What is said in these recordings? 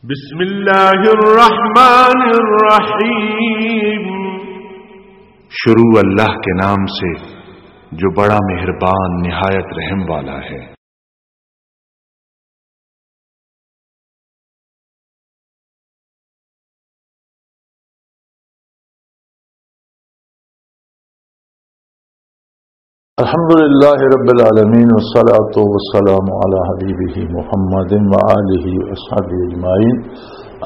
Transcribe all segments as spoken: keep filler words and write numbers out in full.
بسم اللہ الرحمن الرحیم۔ شروع اللہ کے نام سے جو بڑا مہربان نہایت رحم والا ہے۔ الحمد لله رب العالمين، والصلاة والسلام على حبيبه محمد وآله وأصحابه أجمعين.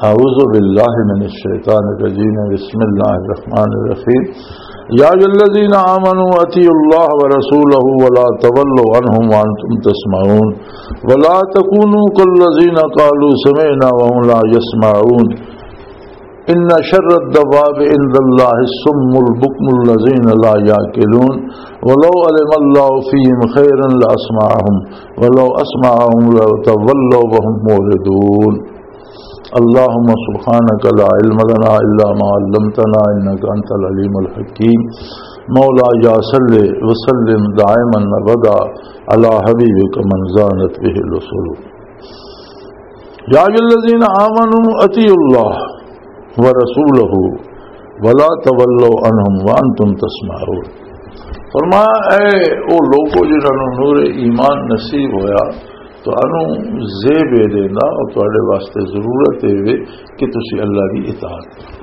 أعوذ بالله من الشيطان الرجيم. بسم الله الرحمن الرحيم. يا أيها الذين آمنوا أطيعوا الله ورسوله ولا تولوا عنهم وأنتم تسمعون. ولا تكونوا كالذين قالوا سمعنا وهم لا يسمعون. إن شر الدواب عند الله الصم البكم الذين لا يعقلون. ولو علم الله فيهم خيرا لأسمعهم ولو أسمعهم لتولوا وهم معرضون. اللهم سبحانك لا علم لنا إلا ما علمتنا إنك أنت العليم الحكيم. مولاي صل وسلم دائما أبدا على حبيبك من زانت به الوصول. يا أيها الذين آمنوا أطيعوا الله ورسوله ولا تولوا عنهم وأنتم تسمعون. فرمایا، اے او لوگو جنہاں نوں نور ایمان نصیب ہویا، تانوں زیب اے دینا اور تہاڈے واسطے ضرورت اے وے کہ تسی اللہ دی اطاعت کرو۔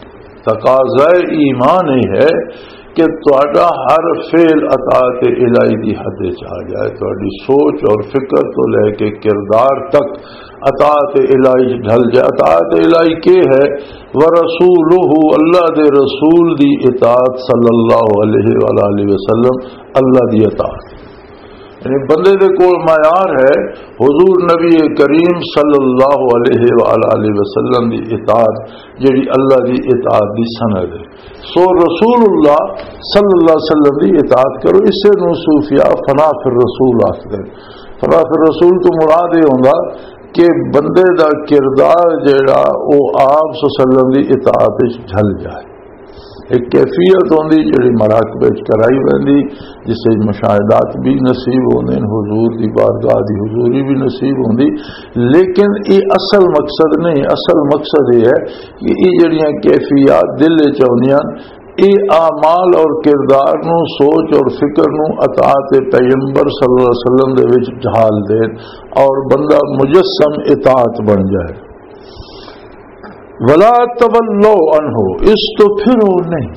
تقاضائے ایمان یہ ہے کہ تہاڈا ہر فعل اطاعت الہی دی حد وچ آ جائے، تہاڈی سوچ اور فکر تو لے کے کردار تک اطاعت الہی ڈھل جائے۔ اطاعت الہی کی ہے؟ ورسولہ، اللہ دے رسول دی اطاعت، صلی اللہ علیہ وآلہ وسلم، اللہ دی اطاعت۔ یعنی بندے دے کول معیار ہے حضور نبی کریم صلی اللہ علیہ وآلہ وسلم دی اطاعت، جڑی اللہ دی اطاعت دی سند ہے۔ سو رسول اللہ صلی اللہ علیہ وسلم دی اطاعت کرو، اسے نو صوفیاء فنا فی الرسول آکھدے۔ فنا فی الرسول تو مراد یہ ہوندا کہ بندے دا کردار جڑا او آپ صلی اللہ علیہ وسلم دی اطاعت وچ ڈھل جائے۔ ایک کیفیت ہوندی جڑی مراقبے وچ کرائی ویندی، جس وچ مشاہدات بھی نصیب ہوندے نے، حضور دی بارگاہ دی حضوری بھی نصیب ہوندی، لیکن یہ اصل مقصد نہیں۔ اصل مقصد یہ ہے کہ یہ جڑیاں کیفیات دل وچ آوندیاں، یہ اعمال اور کردار نو، سوچ اور فکر نو اطاعت پیغمبر صلی اللہ علیہ وسلم دے وچ ڈھال دے اور بندہ مجسم اطاعت بن جائے۔ ولا تولوا عنہ، اس تو پھر وہ نہیں۔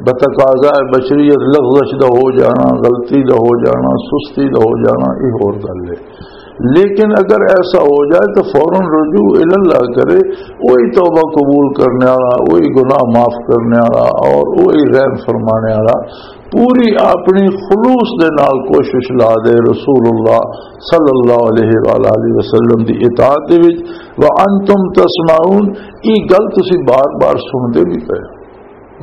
بتقاضا بشریت لغزش دا ہو جانا، غلطی دا ہو جانا، سستی دا ہو جانا، یہ اور گل ہے۔ لیکن اگر ایسا ہو جائے تو فوراً رجوع الی اللہ کرے، وہی توبہ قبول کرنے والا، وہی گناہ معاف کرنے والا اور وہی رحم فرمانے والا۔ پوری اپنی خلوص دے نال کوشش لا دے رسول اللہ صلی اللہ علیہ وآلہ وسلم دی اطاعت دے وچ۔ وانتم تسمعون، یہ گل تسی بار بار سنتے بھی پے،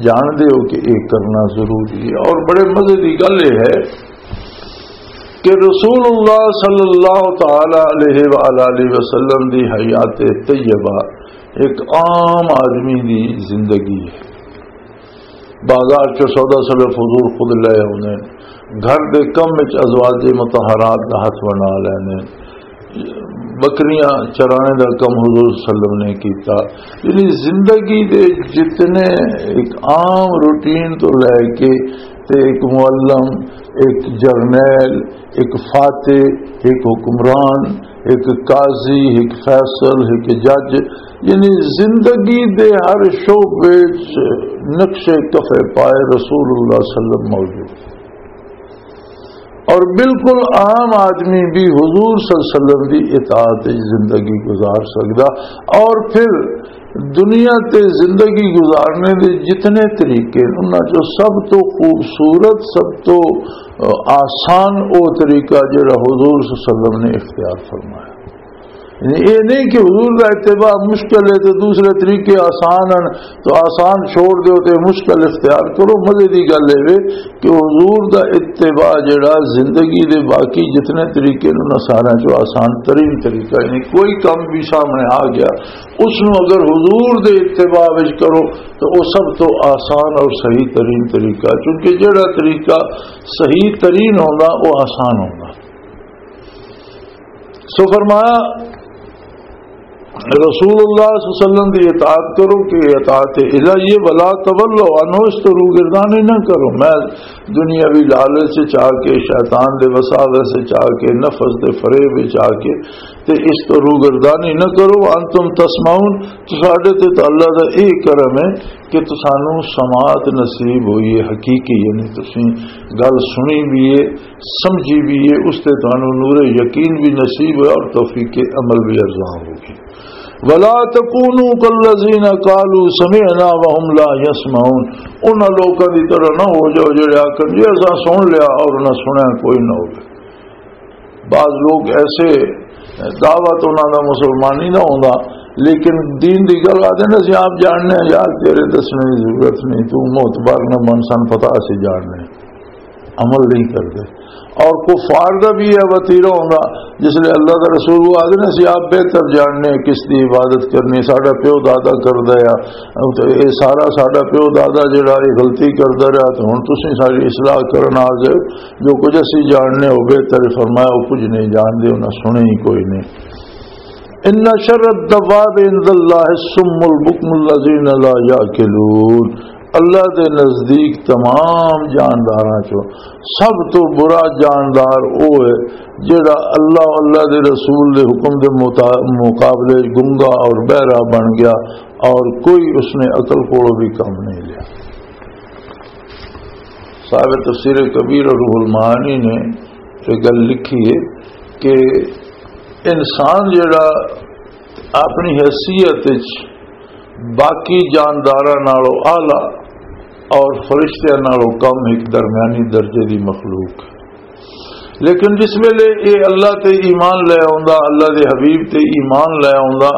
جان دے ہو کہ یہ کرنا ضروری ہے۔ اور بڑے مزے دی گل یہ ہے کہ رسول اللہ صلی اللہ تعالی علیہ وآلہ وسلم دی حیات طیبہ ایک عام آدمی دی زندگی ہے۔ بازار چ سودا صدف حضور خود لے آوندے نے، گھر دے کم وچ ازواج مطہرات دا ہاتھ بنا لیندے نے، بکریاں چرانے دا کم حضور صلی اللہ علیہ وسلم نے کیتا۔ یعنی زندگی دے جتنے ایک عام روٹین تو لے کے تے ایک معلم، ایک جرنیل، ایک فاتح، ایک حکمران، ایک قاضی، ایک فیصل، ایک جج، یعنی زندگی دے ہر شعبے وچ نقش کفے پائے رسول اللہ صلی اللہ علیہ وسلم موجود۔ اور بالکل عام آدمی بھی حضور صلی اللہ علیہ وسلم دی اطاعت وچ زندگی گزار سکدا۔ اور پھر دنیا تے زندگی گزارنے دے جتنے طریقے نے، انہاں چوں سب تو خوبصورت، سب تو، آ، آسان او طریقہ جڑا حضور صلی اللہ علیہ وسلم نے اختیار فرمایا۔ یعنی یہ نہیں کہ حضور دا اتباع مشکل ہے تو دوسرے طریقے آسان ہیں، تو آسان چھوڑ دیو تے مشکل اختیار کرو۔ مزے دی گل ہے وے کہ حضور دا اتباع جڑا زندگی دے باقی جتنے طریقے نے، انہاں سارے چوں آسان ترین طریقہ، یعنی کوئی کم بھی سامنے آ گیا، اس نو اگر حضور دے اتباع وچ کرو تو وہ سب تو آسان اور صحیح ترین طریقہ، کیونکہ جڑا طریقہ صحیح ترین ہونا وہ آسان ہونا۔ سو فرمایا، رسول اللہ صلی اللہ علیہ وسلم دی اطاعت کرو کہ اطاعت الہی ہے۔ ولا تولوا عنہ، اس تو روگردانی نہ کرو۔ میں دنیاوی لالچ چ آ کے، شیطان دے وساوس چ آ کے، نفس دے فریب چ آ کے تے اس تو روگردانی نہ کرو۔ وانتم تسمعون، تساڈے تے تے اللہ دا اے کرم ہے کہ تسانوں سماعت نصیب ہوئی ہے حقیقی، یعنی تسیں گل سنی بھی ہے، سمجھی بھی ہے، اس تے تانوں نور یقین بھی نصیب ہے اور توفیق عمل بھی ارزاں ہوگی۔ ولا تکونوا کالذین قالوا سمعنا وهم لا يسمعون، انہاں لوکاں دی طرح نہ ہو جاؤ جڑے آکھن جی اساں سن لیا اور نہ سنیا کوئی نہ ہوگا۔ بعض لوگ ایسے، دعوت انہاں دا مسلمانی نہ ہوندا، لیکن دین دی گل آدھے نا، "اسی آپ جاننے ہیں یار، تیرے دسنے دی ضرورت نہیں، تو معتبر نہ بن، سن پتہ اسی جاننے ہیں۔" عمل نہیں کردے۔ اور کفار دا بھی یہ وتیرہ ہوندا، جس لئے اللہ دا رسول وہ آدھے نا، "اسی آپ بہتر جاننے ہیں کس دی عبادت کرنی، ساڈا پیو دادا کردا ہے، تے اے سارا ساڈا پیو دادا جڑا اے غلطی کردا رہیا، تے ہن تسیں ساری اصلاح کرن آ گئے۔" جو کچھ اسی جاننے ہو بہتر ہے، فرمایا وہ کچھ نہیں جانتے، انہاں سنے ہی کوئی نہیں۔ ان شر الدواب عند اللہ الصم البکم الذین لا یعقلون۔ اللہ دے نزدیک تمام جانداراں چوں سب تو برا جاندار او ہے جڑا اللہ، اللہ دے رسول دے حکم دے مطا-، مقابلے گنگا اور بہرا بن گیا اور کوئی اس نے عقل کولوں بھی کم نہیں لیا۔ صاحب تفسیر کبیر اور روح المعانی نے یہ گل لکھی ہے کہ انسان جڑا اپنی حیثیت وچ باقی جانداراں نالوں اعلیٰ اور فرشتیاں نالوں کم ایک درمیانی درجے دی مخلوق، لیکن جس ویلے اے اللہ تے ایمان لے آوندا، اللہ دے حبیب تے ایمان لے آوندا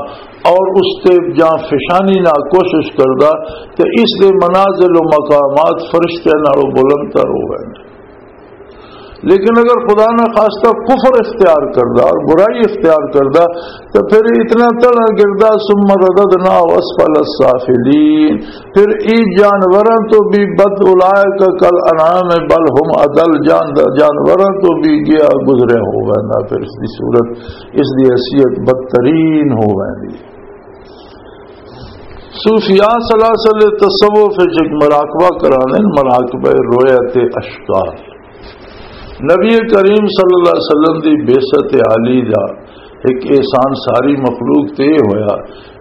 اور اس تے جان فشانی نال کوشش کردا، تے اس دے منازل و مقامات فرشتیاں نالوں بلند تر ہو گئے۔ لیکن اگر خدا نہ خواستہ کفر اختیار کردا اور برائی اختیار کردا، تو پھر اتنا تڑا گردا، ثم رددناہ اسفل السافلین، پھر ای جانوراں تو بھی بد، اولئک کالانعام بل هم اضل، جان-، جانوراں تو بھی گیا گزریا ہو ویندا۔ پھر اس دی صورت، اس دی حیثیت بدترین ہو ویندی۔ صوفیاء سلاسل تصوف وچ ایک مراقبہ کرانے، مراقبہ رویت اشکال۔ نبی کریم صلی اللہ علیہ وسلم دی بعثت عالی دا ایک احسان ساری مخلوق تے یہ ہویا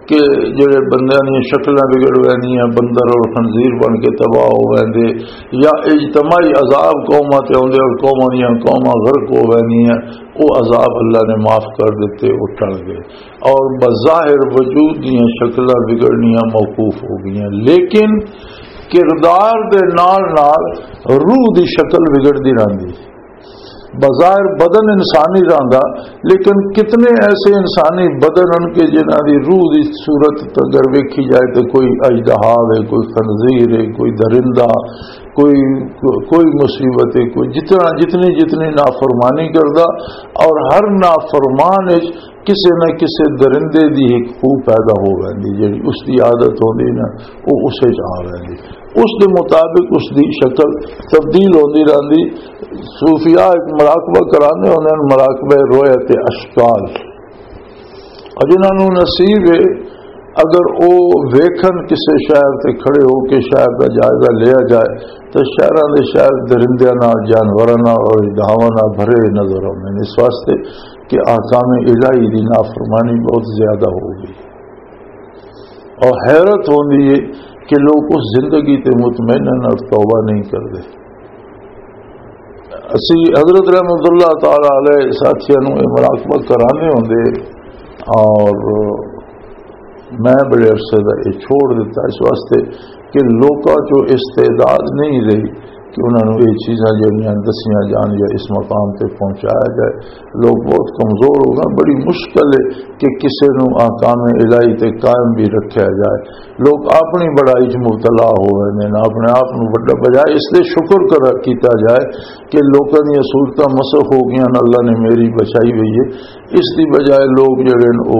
کہ جڑے بندیاں دیاں شکلاں بگڑ ویندیاں، بندر اور خنزیر بن کے تباہ ہو ویندے، یا اجتماعی عذاب قوماں تے ہوندے اور قوماں دیاں قوماں غرق ہو ویندیاں، وہ عذاب اللہ نے معاف کر دیتے، وہ ٹل گئے۔ اور بظاہر وجود دیاں شکلاں بگڑنیاں موقوف ہو گئیاں، لیکن کردار دے نال نال روح دی شکل بگڑدی رہندی۔ بظاہر بدن انسانی رہندا، لیکن کتنے ایسے انسانی بدن ہن کہ جنہاں دی روح دی صورت اگر ویکھی جائے تو کوئی اژدہا ہے، کوئی خنزیر ہے، کوئی درندہ، کوئی، کوئی مصیبت ہے، کوئی جتنا، جتنی، جتنی نافرمانی کردا، اور ہر نافرمان وچ کسے نہ کسے درندے دی ایک خو پیدا ہو ویندی، جڑی اس دی عادت ہوندی نا، وہ اسے چ آ ویندی۔ اس دے مطابق اس دی شکل تبدیل ہوندی رہندی۔ صوفیاء ایک مراقبہ کرانے ہوندے ہن، مراقبہ رویت اشکال۔ اور جنہاں نوں نصیب ہے، اگر او ویکھن کسے شہر تے کھڑے ہو کے شہر دا جائزہ لیا جائے، تو شہراں دے شہر درندیاں نال، جانوراں نال اور اژدہاواں نال بھرے نظر آوندے نے، اس واسطے کہ احکام الہی دی نافرمانی بہت زیادہ ہو گئی۔ اور حیرت ہوندی ہے کہ لوگ اس زندگی تے مطمئن اور توبہ نہیں کردے۔ اسی حضرت رحمت اللہ تعالی علیہ ساتھیاں نوں یہ مراقبہ کرانے ہوندے، اور میں بڑے عرصے دا یہ چھوڑ دیتا اس واسطے کہ لوکاں چوں استعداد نہیں رہی کہ انہاں نوں یہ چیزاں جڑیاں دسیاں جان یا اس مقام تے پہنچایا جائے۔ لوگ بہت کمزور ہو گئے، بڑی مشکل ہے کہ کسے نوں احکام الہی تے قائم بھی رکھیا جائے۔ لوگ اپنی بڑائی چ مبتلا ہو رہے ہیں، اپنے آپ نوں وڈا، بجائے اس دے شکر کر کیتا جائے کہ لوکاں دیاں صورتاں مسخ ہو گئیاں، اللہ نے میری بچائی ہوئی ہے۔ اس دی بجائے لوگ جڑے نے، او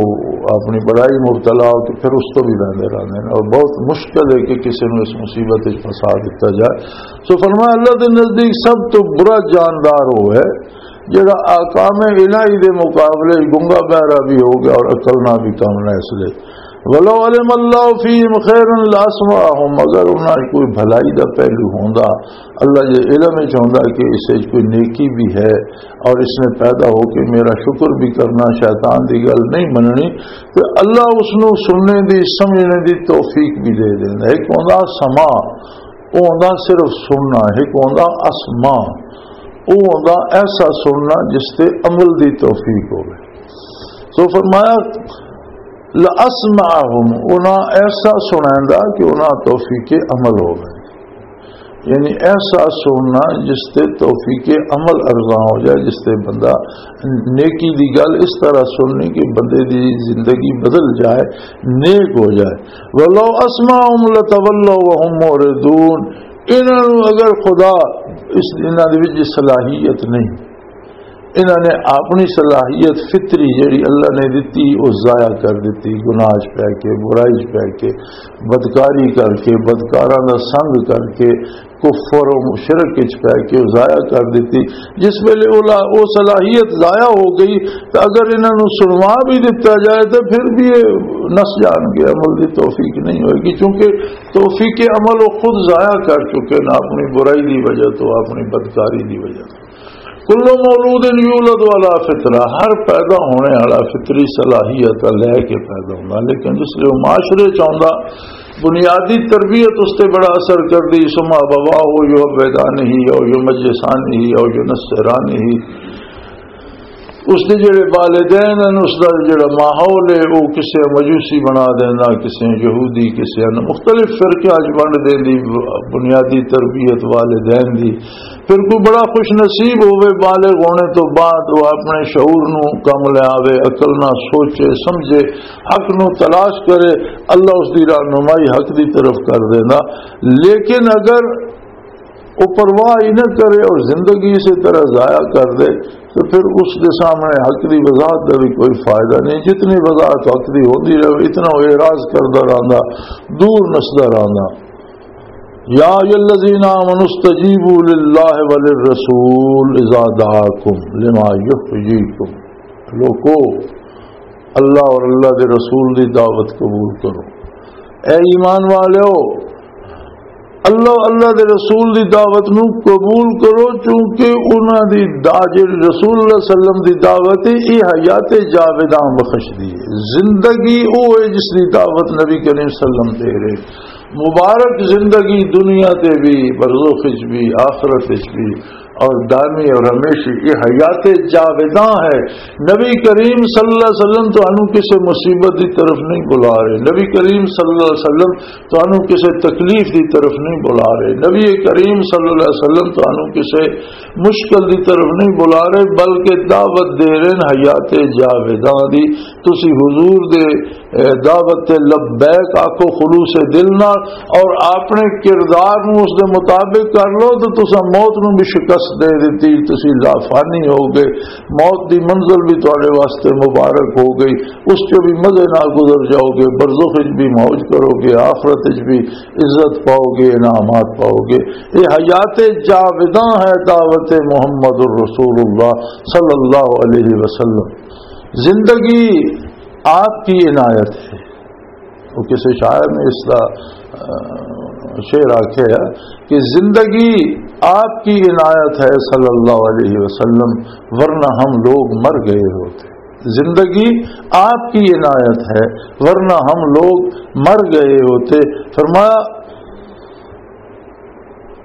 اپنی بڑائی مبتلا ہو کے پھر اس تو بھی رہندے رہندے نے، اور بہت مشکل ہے کہ کسی نوں اس مصیبت وچ پھنسا دتا جائے۔ سو فرمایا، اللہ دے نزدیک سب تو برا جاندار وہ ہے جڑا احکام الہی دے مقابلے گنگا بہرا بھی ہو گیا اور عقل نہ بھی کم نہ اس لے۔ ولو علم اللہ فیہم خیرا لاسمعہم، اگر انہاں کوئی بھلائی دا پہلو ہوندا، اللہ جے علم وچ ہوندا کہ اس وچ کوئی نیکی بھی ہے اور اس نے پیدا ہو کے میرا شکر بھی کرنا، شیطان دی گل نہیں مننی، تو اللہ اس نو سننے دی، سمجھنے دی توفیق بھی دے دیندا۔ ایک ہوندا سماع، او ہوندا صرف سننا، ایک ہوندا اسماع، او ہوندا ایسا سننا جس تے عمل دی توفیق ہوے۔ تو فرمایا، "لاسمعہم"، انہاں ایسا سنائندا کہ انہاں توفیق عمل ہوے۔ یعنی ایسا سننا جس تے توفیق عمل ارزاں ہو جائے، جس تے بندہ نیکی دی گل اس طرح سننی کہ بندے دی زندگی بدل جائے، نیک ہو جائے۔ "ولو اسمعہم لتولوا وہم معرضون"، انہاں نوں اگر خدا اس، انہاں دے وچ صلاحیت نہیں، انہاں نے اپنی صلاحیت فطری جڑی اللہ نے دتی، وہ ضائع کر دتی، گناہ چ پے کے، برائی چ پے کے، بدکاری کر کے، بدکاراں دا سنگ کر کے، کفر و شرک وچ پے کے وہ ضائع کر دتی۔ جس ویلے وہ لا-، وہ صلاحیت ضائع ہو گئی، تو اگر انہاں نوں سنوا بھی دتا جائے تو پھر بھی یہ نس جان گے، عمل دی توفیق نہیں ہوئے گی، کیونکہ توفیق عمل وہ خود ضائع کر چکے نا، اپنی برائی دی وجہ تو، اپنی بدکاری دی وجہ تو۔ کل مولود یولد علی فطرہ، ہر پیدا ہونے والا فطری صلاحیت لے کے پیدا ہوندا، لیکن جس لئے وہ معاشرے چ آوندا، بنیادی تربیت اس تے بڑا اثر کردی، ثم ابواہ یحودانہ او یمجسانہ او ینصرانہ۔ اس دے جڑے والدین ہیں، اس دا جڑا ماحول ہے، وہ کسے مجوسی بنا دینا، کسے یہودی، کسے ان مختلف فرقیاں اچ ونڈ دین دی بنیادی تربیت والدین دی۔ پھر کوئی بڑا خوش نصیب ہوئے، بالغ ہونے تو بعد وہ اپنے شعور نو کم لے آوے، عقل نہ سوچے سمجھے، حق نو تلاش کرے، اللہ اس دی رہنمائی حق دی طرف کر دینا۔ لیکن اگر وہ پرواہ ہی نہ کرے اور زندگی اسی طرح ضائع کر دے، تو پھر اس دے سامنے حق دی وضاحت دا بھی کوئی فائدہ نہیں۔ جتنی وضاحت حق دی ہوندی رہے، اتنا وہ اعراض کردا رہندا، دور نسدا رہندا۔ یا ایھا الذین آمنوا استجیبوا للہ وللرسول اذا دعاکم لما یحییکم۔ لوکو، اللہ اور اللہ دے رسول دی دعوت قبول کرو۔ اے ایمان والےو، اللہ، اللہ دے رسول دی دعوت نو قبول کرو، چونکہ انہاں دی دا-، جڑی رسول اللہ صلی اللہ علیہ وسلم دی دعوت ہے، یہ حیات جاودان بخش دی ہے۔ زندگی او ہے جس دی دعوت نبی کریم صلی اللہ علیہ وسلم دے رہے۔ مبارک زندگی دنیا تے بھی، برزخ وچ بھی، آخرت وچ بھی، اور دائمی اور ہمیشہ یہ حیات جاودان ہے۔ نبی کریم صلی اللہ علیہ وسلم تو انو کسے مصیبت دی طرف نہیں بلا رہے، نبی کریم صلی اللہ علیہ وسلم تو انو کسے تکلیف دی طرف نہیں بلا رہے، نبی کریم صلی اللہ علیہ وسلم تو انو کسے مشکل دی طرف نہیں بلا رہے، بلکہ دعوت دے رہے ہیں حیات جاودان دی۔ تسی حضور دے اے دعوت تے لبیک آکھو خلوص دل نال، اور اپنے کردار نو اس دے مطابق کر لو، تو تساں موت نو بھی شکست دے دتی، تسی لافانی ہو گئے، موت دی منزل بھی تواڈے واسطے مبارک ہو گئی، اس چوں بھی مزے نال گزر جاؤ گے، برزخ وچ بھی موج کرو گے، آخرت وچ بھی عزت پاؤ گے، انعامات پاؤ گے۔ یہ حیات جاوداں ہے دعوت محمد الرسول اللہ صلی اللہ علیہ وسلم۔ زندگی آپ کی عنایت ہے۔ وہ کسی شاعر نے اس کا، آ، شعر آکھیا ہے کہ زندگی آپ کی عنایت ہے صلی اللہ علیہ وسلم، ورنہ ہم لوگ مر گئے ہوتے۔ زندگی آپ کی عنایت ہے، ورنہ ہم لوگ مر گئے ہوتے۔ فرمایا،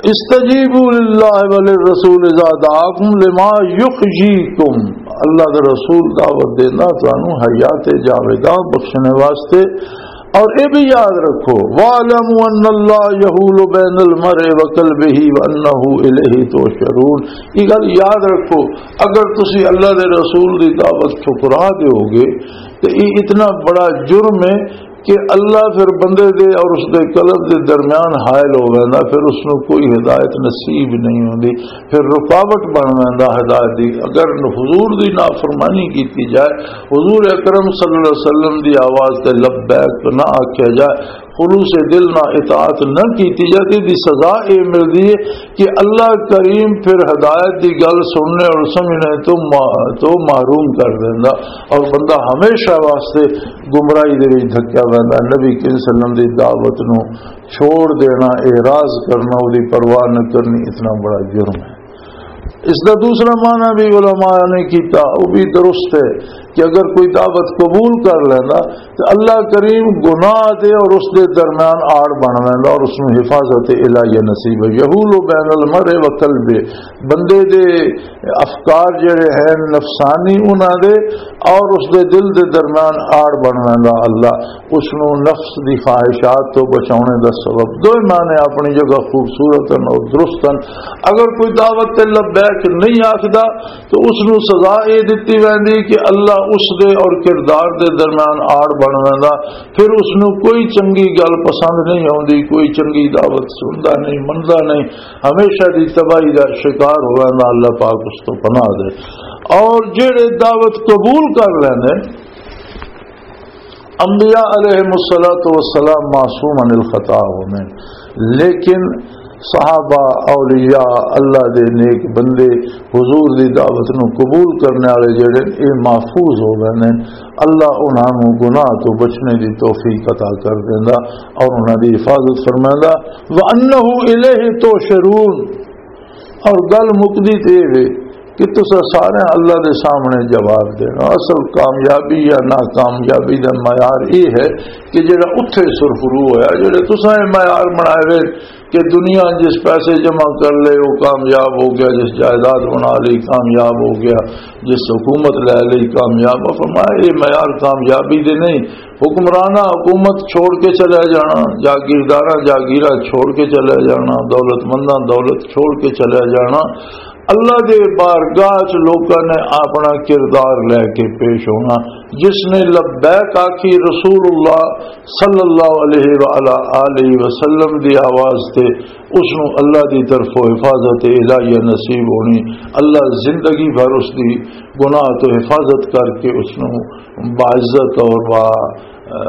استجیبوا للہ وللرسول اذا دعاکم لما یحییکم، اللہ دے رسول دعوت دینا تانوں حیات جاودان بخشنے واسطے۔ اور یہ بھی یاد رکھو، وَاعْلَمُوا أَنَّ اللَّهَ يَحُولُ بَيْنَ الْمَرْءِ وَقَلْبِهِ وَأَنَّهُ إِلَيْهِ تُحْشَرُونَ۔ یہ گل یاد رکھو، اگر تسی اللہ دے رسول دی دعوت ٹھکرا دیو گے تو یہ اتنا بڑا جرم ہے کہ اللہ پھر بندے دے اور اس دے قلب دے درمیان حائل ہو ویندا، پھر اس نو کوئی ہدایت نصیب نہیں ہوندی، پھر رکاوٹ بن ویندا ہدایت دی۔ اگر حضور دی نافرمانی کیتی جائے، حضور اکرم صلی اللہ علیہ وسلم دی آواز تے لبیک نہ آکھیا جائے، خلوص دل نال اطاعت نہ کیتی جاتی، دی سزا اے ملدی ہے کہ اللہ کریم پھر ہدایت دی گل سننے اور سمجھنے تو ما-، تو محروم کر دیندا، اور بندہ ہمیشہ واسطے گمراہی دے وچ دھکیا ویندا۔ نبی کریم صلی اللہ علیہ وسلم دی دعوت نو چھوڑ دینا، اعراض کرنا، اودی پرواہ نہ کرنی، اتنا بڑا جرم ہے۔ اس دا دوسرا معنی بھی علماء نے کیتا، وہ بھی درست ہے کہ اگر کوئی دعوت قبول کر لینا تو اللہ کریم گناہ دے اور اس دے درمیان آڑ بن لینا اور اس نوں حفاظت الہیہ نصیب ہے۔ یحول بین المرء و قلبہ، بندے دے افکار جڑے ہیں نفسانی انہاں دے اور اس دے دل دے درمیان آڑ بن لینا اللہ، اس نوں نفس دی خواہشات تو بچاونے دا سبب۔ دوئے معنی اپنی جگہ خوبصورت ہن اور درست ہن۔ اگر کوئی دعوت تے لبیک نہیں آکھدا تو اس نوں سزا اے دتی ویندی کہ اللہ اس دے اور کردار دے درمیان آڑ بن ویندا، پھر اس نوں کوئی چنگی گل پسند نہیں آوندی، کوئی چنگی دعوت سندا نہیں، مندا نہیں، ہمیشہ دی تباہی دا شکار ہو ویندا۔ اللہ پاک اس تو پناہ دے۔ اور جڑے دعوت قبول کر لیندے، انبیاء علیہ الصلوۃ والسلام معصوم عن الخطا ہوندے، لیکن صحابہ، اولیاء، اللہ دے نیک بندے، حضور دی دعوت نو قبول کرنے والے جڑے، اے محفوظ ہو گئے نے۔ اللہ انہاں نو گناہ تو بچنے دی توفیق عطا کر دیندا اور انہاں دی حفاظت فرمیندا۔ وَأَنَّهُ إِلَيْهِ تُحْشَرُونَ۔ اور گل مکدی تے اے وے کہ تساں سارے اللہ دے سامنے جواب دینا۔ اصل کامیابی یا ناکامیابی دا معیار اے ہے کہ جڑا اتھے سرخرو ہویا، جڑے تساں اے معیار بنائے وے کہ دنیا جس پیسے جمع کر لے وہ کامیاب ہو گیا، جس جائیداد بنا لی کامیاب ہو گیا، جس حکومت لے لی کامیاب ہو۔ فرمایا، اے معیار کامیابی دے نہیں۔ حکمرانہ حکومت چھوڑ کے چلے جانا، جاگیرداراں جاگیراں چھوڑ کے چلے جانا، دولت منداں دولت چھوڑ کے چلے جانا۔ اللہ دے بارگاہ چ لوکاں نے اپنا کردار لے کے پیش ہونا۔ جس نے لبیک آکھی رسول اللہ صلی اللہ علیہ وآلہ آلہ وسلم دی آواز تے، اس نو اللہ دی طرفوں حفاظت الہیہ نصیب ہونی۔ اللہ زندگی بھر اس دی گناہ تو حفاظت کر کے اس نو باعزت اور با، آ،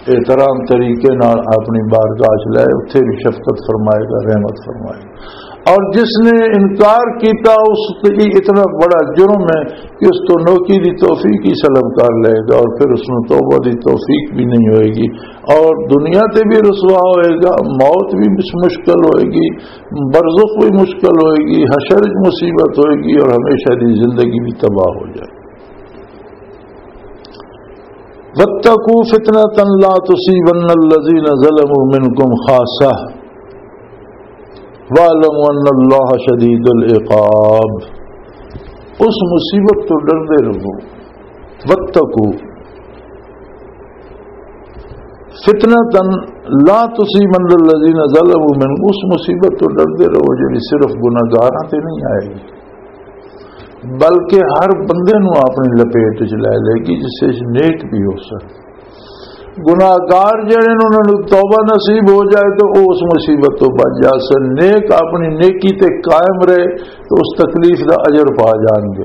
احترام طریقے نال اپنی بارگاہ چ لے، اتھے بھی شفقت فرمائے گا، رحمت فرمائے گا۔ اور جس نے انکار کیتا، اس تے اتنا بڑا جرم ہے کہ اس تو نوکی دی توفیق ہی سلب کر لے گا اور پھر اس نو توبہ دی توفیق بھی نہیں ہوئے گی اور دنیا تے بھی رسوا ہوئے گا، موت بھی مش-، مشکل ہوئے گی، برزخ بھی مشکل ہوئے گی، حشر وچ مصیبت ہوئے گی اور ہمیشہ دی زندگی بھی تباہ ہو جائے۔ وَاتَّقُوا فِتْنَةً لَا تُصِيبَنَّ الَّذِينَ ظَلَمُوا مِنْكُمْ خَاصَّةً وَاعْلَمُوا أَنَّ اللَّهَ شَدِيدُ الْعِقَابِ۔ اس مصیبت تو ڈردے رہو۔ وَاتَّقُوا فِتْنَةً لَا تُصِيبَنَّ الَّذِينَ ظَلَمُوا مِنْكُمْ، اس مصیبت تو ڈردے رہو جڑی صرف گناہگاراں تے نہیں آئے گی، بلکہ ہر بندے نو اپنی لپیٹ وچ لے لے گی، جس وچ نیک بھی ہو سن۔ گناہگار جڑے نے، انہاں نو توبہ نصیب ہو جائے تو او اس مصیبت تو بچ جا سن۔ نیک اپنی نیکی تے قائم رہے تو اس تکلیف دا اجر پا جان گے۔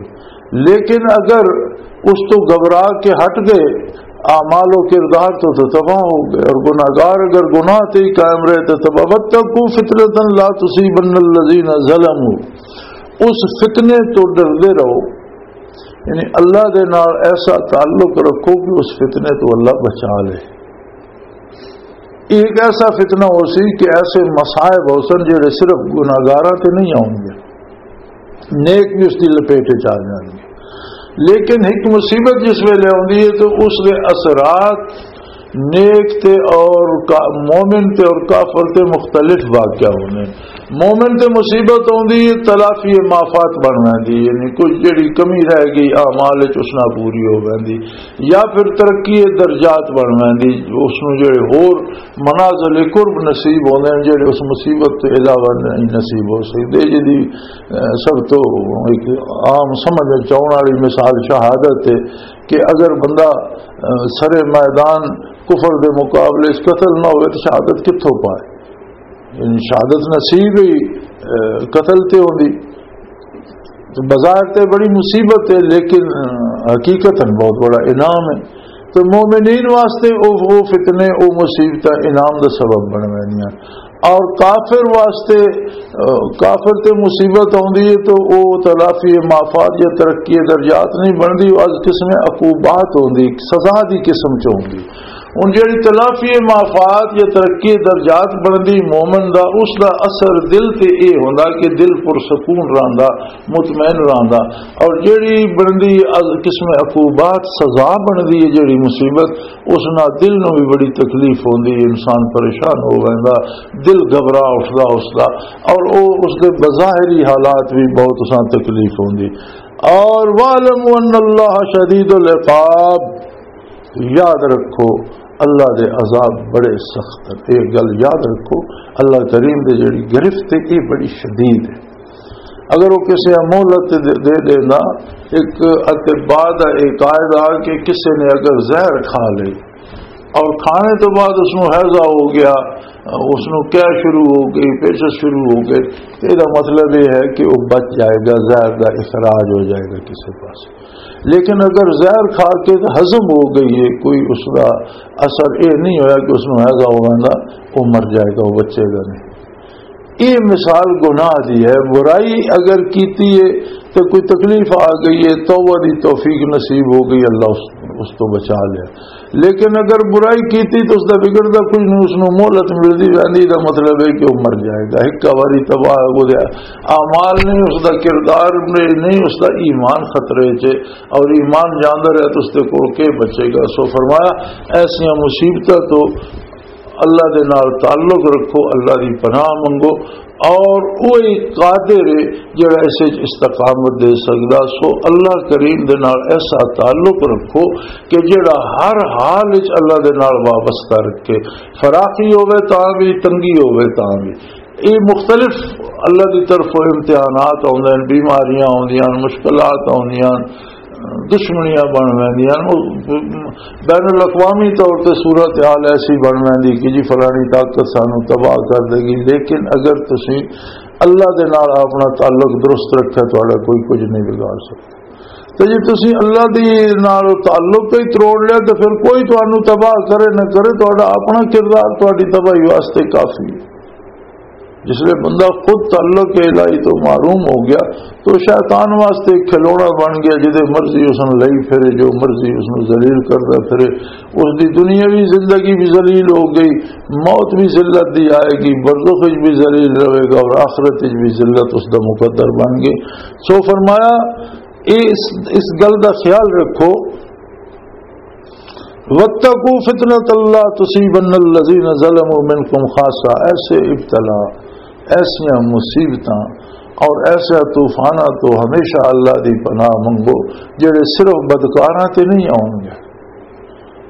لیکن اگر اس تو گھبرا کے ہٹ گئے، اعمال و کردار تو، تو تباہ ہو گئے، اور گناہگار اگر گناہ تے ہی قائم رہے تو تباہ۔ وَاتَّقُوا فِتْنَةً لَا تُصِيبَنَّ الَّذِينَ ظَلَمُوا، اس فتنے تو ڈردے رہو، یعنی اللہ دے نال ایسا تعلق رکھو کہ اس فتنے تو اللہ بچا لے۔ ایک ایسا فتنہ ہو سی کہ ایسے مصائب ہو سن جڑے صرف گناہگاراں تے نہیں آؤں گے، نیک بھی اس دی لپیٹ وچ آ جان گے۔ لیکن ایک مصیبت جس ویلے آندی ہے تو اس دے اثرات نیک تے اور کا-، مومن تے اور کافر تے مختلف واقعہ ہوندے ہیں۔ مومن تے مصیبت آندی ہے، تلافی مافات بن ویندی، یعنی کچھ جڑی کمی رہ گئی اعمال وچ، اس نال پوری ہو ویندی، یا پھر ترقی درجات بن ویندی، اس نوں جڑے ہور منازل قرب نصیب ہوندے ہیں، جڑے اس مصیبت تو علاوہ نہیں نصیب ہو سکدے۔ جدی، اہ، سب تو ایک عام سمجھ وچ آؤن والی مثال شہادت ہے کہ اگر بندہ، اہ، سر میدان کفر دے مقابلے وچ قتل نہ ہوئے تو شہادت کتھوں پائے؟ یعنی شہادت نصیب ہی، اہ، قتل تے ہوندی۔ تو بظاہر تے بڑی مصیبت ہے، لیکن، اہ، حقیقتاً بہت بڑا انعام ہے۔ تو مومنین واسطے او، او فتنے، او مصیبتاں انعام دا سبب بن ویندیاں۔ اور کافر واسطے، آ، کافر تے مصیبت آوندی ہے تو او تلافی مافات یا ترقی درجات نہیں بندی، او از قسم عقوبات ہوندی، سزا دی قسم چ ہوندی۔ ہن جڑی تلافی مافات یا ترقی درجات بندی مومن دا، اس دا اثر دل تے اے ہوندا کہ دل پرسکون رہندا، مطمئن رہندا۔ اور جڑی بندی از قسم عقوبات، سزا بندی ہے جڑی مصیبت، اس نال دل نوں بھی بڑی تکلیف ہوندی ہے، انسان پریشان ہو ویندا، دل گھبرا اٹھدا اس دا، اور او اس دے بظاہری حالات بھی بہت اساں تکلیف ہوندی۔ اور وَاعْلَمُوا أَنَّ اللَّهَ شَدِيدُ الْعِقَابِ، یاد رکھو اللہ دے عذاب بڑے سخت ہیں۔ ایک گل یاد رکھو، اللہ کریم دے جڑی گرفت ہے، یہ بڑی شدید ہے۔ اگر وہ کسی مہلت دے، دے دینا، ایک اطباء دا ایک قاعدہ کہ کسی نے اگر زہر کھا لے اور کھانے تو بعد اس نوں ہیضہ ہو گیا، اس نوں کیا شروع ہو گئی، پیچس شروع ہو گئے، تو یہ مطلب یہ ہے کہ وہ بچ جائے گا، زہر دا اخراج ہو جائے گا کسی پاس۔ لیکن اگر زہر کھا کے تو ہضم ہو گئی ہے، کوئی اس کا اثر یہ نہیں ہویا کہ اس نوں ہیضہ ہو گیا، وہ مر جائے گا، وہ بچے گا نہیں۔ یہ مثال گناہ دی ہے۔ برائی اگر کیتی ہے تو کوئی تکلیف آ گئی ہے، توبہ دی توفیق نصیب ہو گئی، اللہ اس، اس تو بچا لیا۔ لیکن اگر برائی کیتی تو اس دا بگڑدا کچھ نہیں، اس نوں مہلت ملدی رہندی، دا مطلب ہے کہ وہ مر جائے گا۔ ایک واری تباہ ہو گیا، اعمال نہیں، اس دا کردار نہیں، اس دا ایمان خطرے چ، اور ایمان جاندر ہے تو اس دے کول کے بچے گا؟ سو فرمایا، ایسیاں مصیبتاں تو اللہ دے نال تعلق رکھو، اللہ دی پناہ منگو، اور وہی قادر ہے جڑا اس وچ استقامت دے سکدا۔ سو اللہ کریم دے نال ایسا تعلق رکھو کہ جڑا ہر حال وچ اللہ دے نال وابستہ رکھے، فراخی ہوے تاں بھی، تنگی ہوے تاں بھی۔ یہ مختلف اللہ دی طرفوں امتحانات آوندے ہیں، بیماریاں آوندیاں ہیں، مشکلات آوندیاں ہیں، دشمنیاں بن ویندیاں ہیں۔ بین الاقوامی طور تے صورت حال ایسی بن ویندی کہ جی فلانی طاقت سانو تباہ کر دے گی، لیکن اگر تسی اللہ دے نال اپنا تعلق درست رکھے، تہاڈا کوئی کچھ نہیں بگاڑ سکتا۔ تے جے تسی اللہ دے نال تعلق ہی تروڑ لیا، تے پھر کوئی تانوں تباہ کرے نہ کرے، تہاڈا اپنا کردار تہاڈی تباہی واسطے کافی ہے۔ جس لئے بندہ خود تعلق الہی تو محروم ہو گیا، تو شیطان واسطے ایک کھلونا بن گیا، جدے مرضی اس نوں لئی پھرے، جو مرضی اس نوں ذلیل کردا پھرے۔ اس دی دنیاوی زندگی بھی ذلیل ہو گئی، موت بھی ذلت دی آئے گی، برزخ وچ بھی ذلیل رہے گا اور آخرت وچ بھی ذلت اس دا مقدر بن گئی۔ سو فرمایا، اس، اس گل دا خیال رکھو، وَاتَّقُوا فِتْنَةً لَا تُصِيبَنَّ الَّذِينَ ظَلَمُوا مِنْكُمْ خَاصَّةً، ایسے ابتلا، ایسیاں مصیبتاں اور ایسے طوفاناں تو ہمیشہ اللہ دی پناہ منگو، جڑے صرف بدکاراں تے نہیں آؤن گے،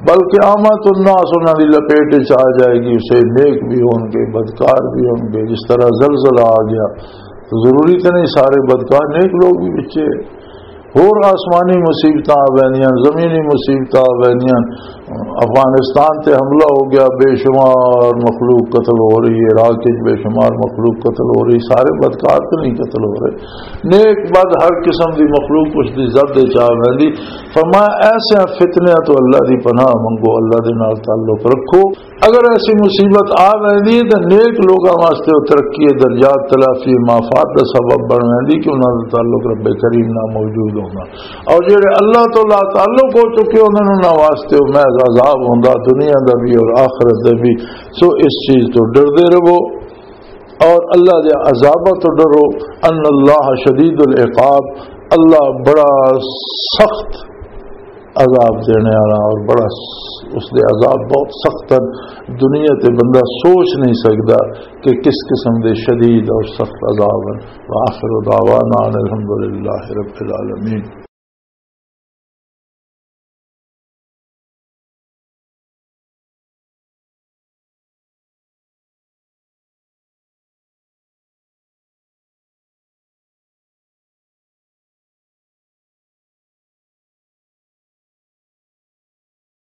بلکہ عامت الناس انہاں دی لپیٹ وچ آ جائے گی۔ اسے نیک بھی ہون گے، بدکار بھی ہون گے۔ جس طرح زلزلہ آ گیا تو ضروری تے نہیں سارے بدکار، نیک لوگ بھی بچے۔ ہور آسمانی مصیبتاں آ ویندیاں، زمینی مصیبتاں آ ویندیاں۔ افغانستان تے حملہ ہو گیا، بے شمار مخلوق قتل ہو رہی ہے، عراق وچ بے شمار مخلوق قتل ہو رہی، سارے بدکار تو نہیں قتل ہو رہے، نیک بد ہر قسم دی مخلوق اس دی زد وچ آ ویندی۔ فرمایا، ایسے فتنیاں تو اللہ دی پناہ منگو، اللہ دے نال تعلق رکھو۔ اگر ایسی مصیبت آ ویندی ہے تو نیک لوگاں واسطے وہ ترقی درجات، تلافی مافات دا سبب بن ویندی کہ انہاں دا تعلق رب کریم نال موجود ہونا۔ اور جڑے اللہ تو لا تعلق ہو چکے ہوندے نے، انہاں واسطے وہ محض عذاب ہوندا، دنیا دا بھی اور آخرت دا بھی۔ سو اس چیز تو ڈردے رہو اور اللہ دے عذاباں تو ڈرو۔ ان اللہ شدید العقاب، اللہ بڑا سخت عذاب دینے والا اور بڑا س-، اس دے عذاب بہت سخت ہیں۔ دنیا تے بندہ سوچ نہیں سکدا کہ کس قسم دے شدید اور سخت عذاب ہیں۔ وآخر دعوانا ان الحمدللہ رب العالمین۔